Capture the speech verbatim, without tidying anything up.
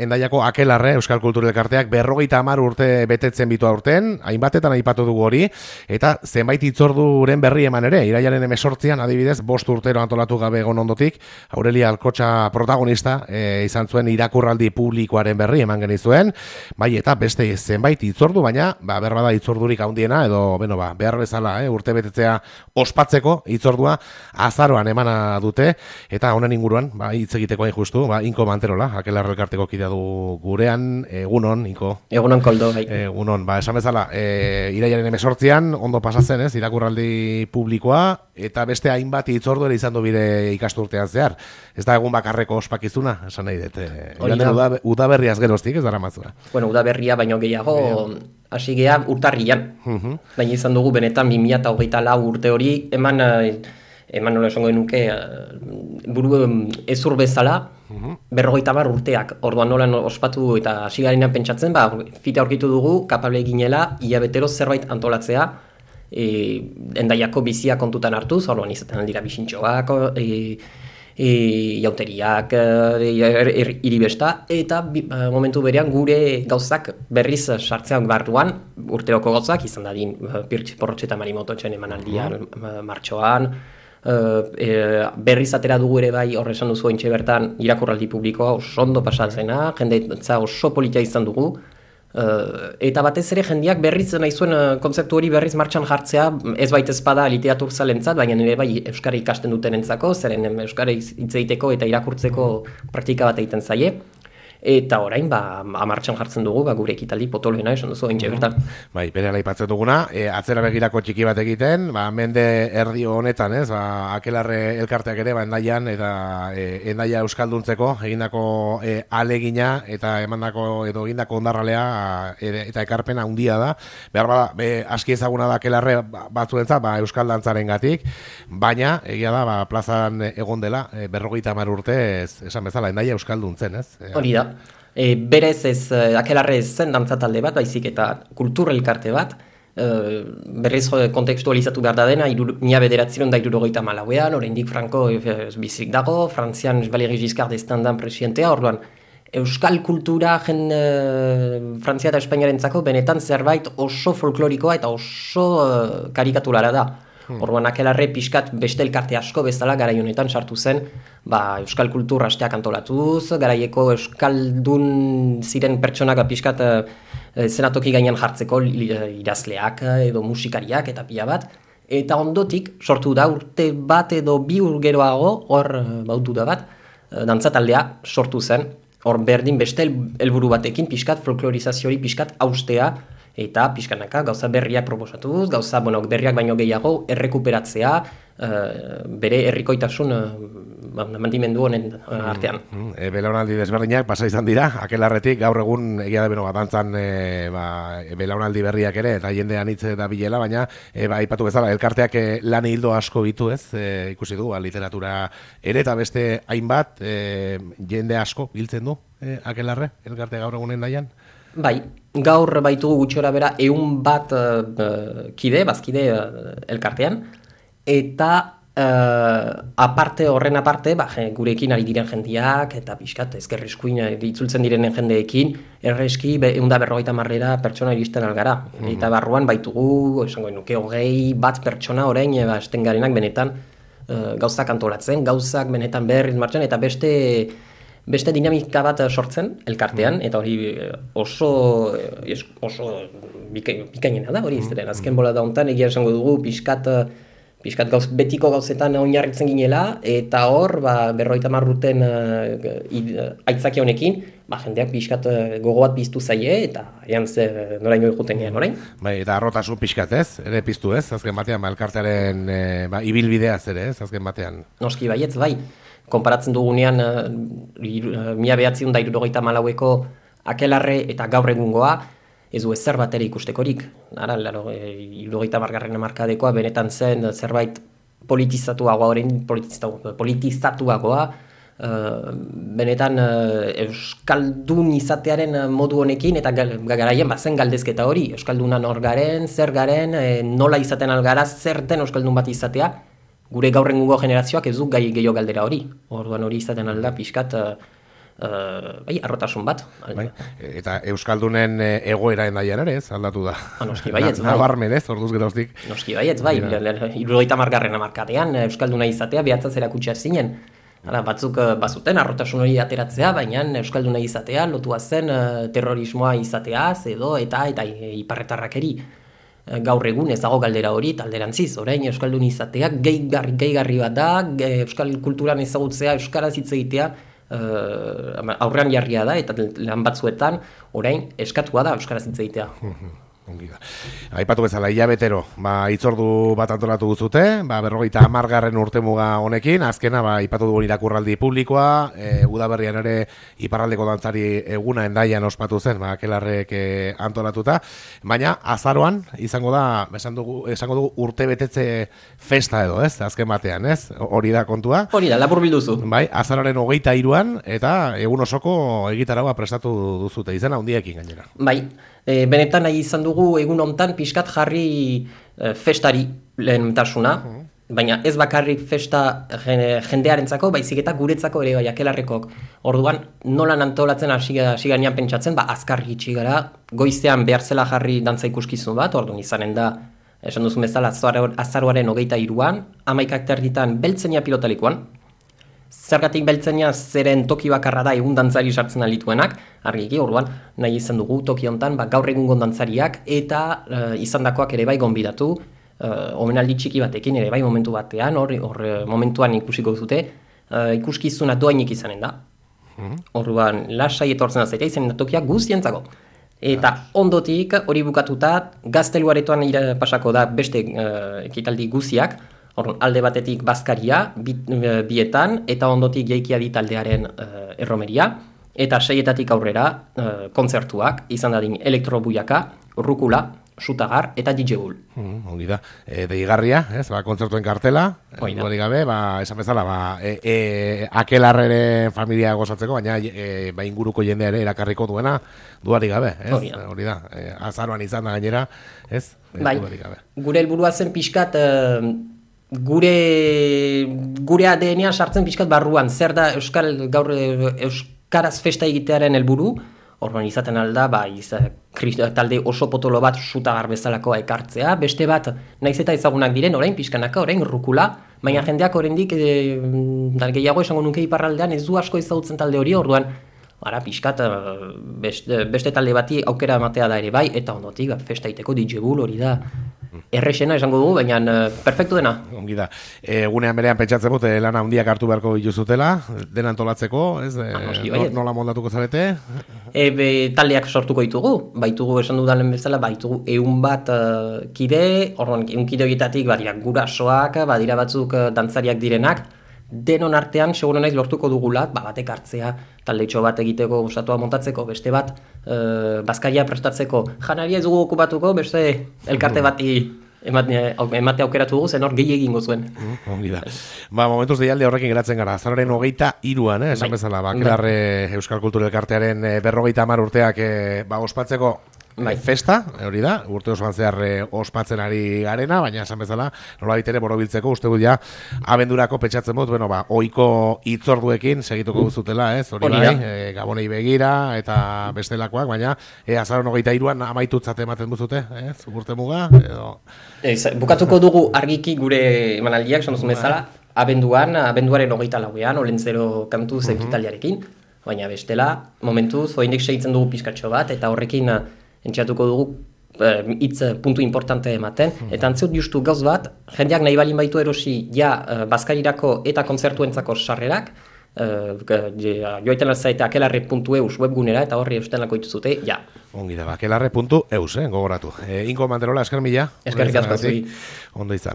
Endaiako Akelarre Euskal Kultura Elkarteak berrogeita hamar urte betetzen bitu aurten, hainbatetan aipatu dugu hori, eta zenbait hitzorduren berri eman ere, irailaren hemezortzian adibidez, bost urtero antolatu gabe egon ondotik, Aurelia Alkotxa protagonista e, izan zuen irakurraldi publikoaren berri eman genizuen, bai eta beste zenbait hitzordu, baina ba, berbada hitzordurik handiena, edo beno, ba, behar bezala eh, urte betetzea ospatzeko hitzordua azaroan emana dute, eta honen inguruan, ba, hitz egiteko hain justu, ba, Inko Manterola, Akelarre Elkarteko kidea du gurean, egunon, Inko. Egunon, Koldo, bai. Egunon, ba, esan bezala, e, irailaren hemezortzian, ondo pasatzen, ez, irakurraldi publikoa, eta beste hainbat hitzordu ere izan du bide ikasturtean zehar. Ez da egun bakarreko ospakizuna, esan nahi dut. Uda, udaberriaz geroztik, ez dara mazua. Bueno, udaberria baino gehiago, hasi geha urtarrian. Uh-huh. Baina izan dugu benetan bi mila hogeita lau urte hori, eman, eman nola esongo genuke, buru ezur bezala, Uh-huh. berrogeita hamar urteak, orduan nola ospatu eta hasi garenean pentsatzen, ba, fite aurkitu dugu, kapable ginela, hilabetero zerbait antolatzea, e, Endaiako bizia kontutan hartuz, orduan izaten aldira bisintxoak, e, e, jauteriak, e, iribesta, eta bi, momentu berean gure gauzak berriz sartzean barruan, urteroko gauzak, izan dadin Pirtx Porrotxe eta Marimototxen emanaldian, uh-huh. martxoan, Uh, e, berriz atera dugu ere bai horre esan duzu ointxe bertan irakurraldi publikoa oso ondo pasatzena, jende oso politia izan dugu, uh, eta batez ere jendeak berriz nahi zuen uh, kontzeptu hori berriz martxan jartzea, ez baita ezpada literatur zalentzat, baina nire bai euskara ikasten duten entzako, zeren euskara hitz egiteko eta irakurtzeko praktika bat egiten zaie. Eta orain, ba, amartxan jartzen dugu, ba, gure ekitaldi potoloena esan duzu ointxe bertan. Bai, bere aipatzen duguna, e, atzera begirako txiki bat egiten, ba, mende erdi honetan, ez, ba, Akelarre Elkarteak ere, ba, endaian, eta e, endaia euskalduntzeko, egindako e, alegina, eta emandako edo egindako ondarralea, e, eta ekarpena handia da. Behar bada, be, aski ezaguna da Akelarre batzuentzat, ba, euskal dantzaren gatik, baina, egia da, ba, plazan egon dela, e, berrogeita hamar urte, ez, esan bezala, endaia euskalduntzen, ez? Hori da. E, berez ez, Akelarre ez zen dantzatalde bat, baizik eta kultur elkarte bat, e, berriz kontekstualizatu behar da dena, mila bederatziron da irurogeita malauean, oraindik Franco e, bizik dago, Frantzian Valéry Giscard d'Estaing presidentea, orduan, euskal kultura jen, e, Frantzia eta Espainiarentzako benetan zerbait oso folklorikoa eta oso e, karikatulara da. Hmm. Orduan Akelarre pixkat beste elkarte asko bezala garai honetan sartu zen, ba, euskal kultur asteak antolatuz, garaieko euskaldun ziren pertsonak pixkat e, zenatoki gainean jartzeko idazleak edo musikariak eta pila bat, eta ondotik sortu da urte bat edo bi urgeroago, hor bautu da bat, dantzataldea sortu zen, hor berdin beste helburu batekin pixkat folklorizazio hori pixkat haustea, eta pixkanaka gauza berriak proposatuz, gauza bueno, berriak baino gehiago errekuperatzea, uh, bere herrikoitasun uh, mantimendu honen uh, artean. Mm, e, belaunaldi desberdinak pasa izan dira, Akelarretik gaur egun egia da beno, dantzan e, ba, belaunaldi berriak ere, eta jendean hitz da bilela, baina e, ba, ipatu bezala, elkarteak e, lan hildo asko bitu ez, e, ikusi du, ba, literatura ere eta beste hainbat, e, jende asko biltzen du e, Akelarre, elkarte gaur egunen daian? Bai, gaur baitugu gutxora bera eun bat uh, kide, bazkide uh, elkartean, eta uh, aparte horren aparte, ba, gurekin ari diren jendiak, eta pixkat ezkerriskuin itzultzen direnen jendeekin, erreski eunda berrogeita marrera pertsona iristen algara. Mm-hmm. Eta barruan baitugu, esango nuke hogei bat pertsona orain, ba, esten garenak benetan uh, gauzak antolatzen, gauzak benetan berriz martxan, eta beste... Beste dinamika bat sortzen elkartean, eta hori oso, oso bikainena da, hori izteren. Azken bola da hontan, egia esango dugu, pixkat, pixkat gauz, betiko gauzetan oinarritzen ginela, eta hor, ba, berrogeita hamar urten uh, aitzaki honekin, ba, jendeak pixkat gogo bat piztu zaie, eta ean ze noraino ikuten gehan orain. Bai, eta arrotasun pixkat ez, ere piztu ez, azken batean, ba, elkartearen e, ba, ibilbideaz ere ez, azken batean. Noski baietz, bai. Konparatzen dugunean, uh, mila behatziun da irurogeita malaueko Akelarre eta gaur egungoa, ez du ezer bat ere ikustekorik. Ara, laro, e, irurogeita margarren markadekoa, benetan zen zerbait politizatuagoa, orain politizatuagoa, uh, benetan uh, euskaldun izatearen modu honekin, eta garaien bazen galdezketa hori, euskaldunan hor garen, zer garen, e, nola izaten algara, zer den euskaldun bat izatea, gure gaur egungo generazioak ez du gai gehiago galdera hori. Orduan hori izaten alda pixkat uh, Uh, bai, arrotasun bat. Bai. Eta Euskaldunen egoera endaian ere, ez, aldatu da. Ha, noski baietz, bai. Nabarmen, ez, orduz geroztik. Noski baietz, bai. Hirurogeita hamargarren hamarkadean Euskalduna izatea behatzaz erakutsia zinen. Hala, batzuk bazuten arrotasun hori ateratzea, baina Euskalduna izatea lotua zen terrorismoa izateaz edo eta eta iparretarrakeri. Gaur egun ez dago galdera hori, talderantziz, orain Euskaldun izateak gehigarri, gehigarri bat da, Euskal kulturan ezagutzea, Euskaraz hitz egitea, uh, aurrean jarria da, eta lan batzuetan, orain eskatua da Euskaraz hitz egitea. Ongi da. Aipatu bezala, hilabetero, ba, itzordu bat antolatu duzute, ba, berrogeita hamargarren urtemuga honekin, azkena, ba, aipatu dugun irakurraldi publikoa, e, udaberrian ere iparraldeko dantzari eguna endaian ospatu zen, ba, Akelarrek e, antolatuta, baina azaroan izango da, esan dugu, esango dugu urte betetze festa edo, ez? Azken batean, ez? Hori da kontua. Hori da, lapur bilduzu. Bai, azaroaren hogeita hiruan eta egun osoko egitaragoa prestatu duzute, izena handiekin gainera. Bai. E, benetan nahi izan dugu egun hontan pixkat jarri e, festari lehentasuna, uh-huh. baina ez bakarrik festa jendearentzako, baizik eta guretzako ere bai Akelarrekok. Orduan, nolan antolatzen hasi ganean pentsatzen, ba, azkar gitxi gara, goizean behar zela jarri dantza ikuskizun bat, orduan izanen da, esan duzun bezala, azaroaren hogeita hiruan, hamaikak terditan beltzenia pilotalikoan, zergatik beltzenia zeren toki bakarra da egun dantzari sartzen alituenak, argiki, orduan, nahi izan dugu toki hontan, ba, gaur egungo dantzariak eta uh, izandakoak ere bai gonbidatu, uh, omenaldi txiki batekin ere bai momentu batean, hor, hor momentuan ikusiko duzute, uh, ikuskizuna doainik izanen da. Orduan, lasai etortzen da zaita izanen da tokia guztientzako. Eta ondotik hori bukatuta, gazteluaretoan pasako da beste uh, ekitaldi guziak, Orduan, alde batetik bazkaria, bit, bietan, eta ondotik jaikia taldearen uh, erromeria, eta seietatik aurrera uh, kontzertuak, izan dadin elektrobuiaka, rukula, sutagar eta D J Bull. Mm, ongi da. E, deigarria, ez, ba, kontzertuen kartela, duari gabe, ba, esan bezala, ba, e, e, Akelarreren familia gozatzeko, baina e, ba, inguruko jendea ere erakarriko duena, duari gabe, ez? Hori da. Hori da. E, azaroan izan da gainera, ez? E, bai, gure helburua zen pixkat, uh, gure gure A D N-a sartzen pixkat barruan, zer da Euskal gaur Euskaraz festa egitearen helburu, orduan izaten alda, ba, iza, talde oso potolo bat sutagar bezalakoa ekartzea, beste bat, naiz eta ezagunak diren, orain pixkanaka, orain rukula, baina jendeak oraindik e, gehiago esango nuke iparraldean ez du asko ezagutzen talde hori, orduan ara pixkat beste, beste talde bati aukera ematea da ere bai, eta ondotik festa iteko D J Bull hori da errexena esango dugu, baina uh, perfektu dena. Ongi da. Egunean berean pentsatzen dut, lana handiak hartu beharko dituzutela, dena antolatzeko, ez? Ah, noski, no, nola moldatuko zarete? E, be, taldeak sortuko ditugu, baitugu esan dudalen bezala, baitugu eun bat uh, kide, orduan eun kide horietatik badira gurasoak, badira batzuk uh, dantzariak direnak, denon artean, seguro naiz lortuko dugula, ba, batek hartzea, taldeitxo bat egiteko, osatua montatzeko, beste bat, e, bazkaria prestatzeko, janaria ez dugu okupatuko, beste elkarte bati emate, emate aukeratu dugu, zen hor gehi egingo zuen. Mm, ongi da. Ba, momentuz deialde horrekin geratzen gara, azaroaren hogeita iruan, eh, esan bezala, ba, Akelarre Euskal Kultura Elkartearen e, berrogeita hamar urteak e, ba, ospatzeko bai. Festa, hori da, urte osoan zehar ospatzen ari garena, baina esan bezala, nola bitere borobiltzeko, uste dut ja, abendurako petxatzen dut, bueno, ba, oiko itzorduekin segituko duzutela, ez, hori bai, e, gabonei begira, eta bestelakoak, baina, e, azaron hogeita iruan amaitutzat ematen duzute, ez, urte muga, edo... Ez, bukatuko dugu argiki gure emanaldiak, esan duzun bezala, abenduan, abenduaren hogeita lauean, olentzero kantuz uh-huh. ekitaliarekin, baina bestela, momentuz, oindik segitzen dugu pizkatxo bat, eta horrekin entxatuko dugu hitz uh, puntu importante ematen, mm-hmm. eta antziut justu gauz bat, jendeak nahi balin baitu erosi ja uh, bazkarirako eta kontzertuentzako sarrerak, uh, joaiten alzaite akelarre puntu eus webgunera, eta horri eustenako dituzute, ja. Ongi da, akelarre puntu eus, eh, gogoratu. E, Inko Manterola, esker mila. Eskerrik asko zui. Ondo izan.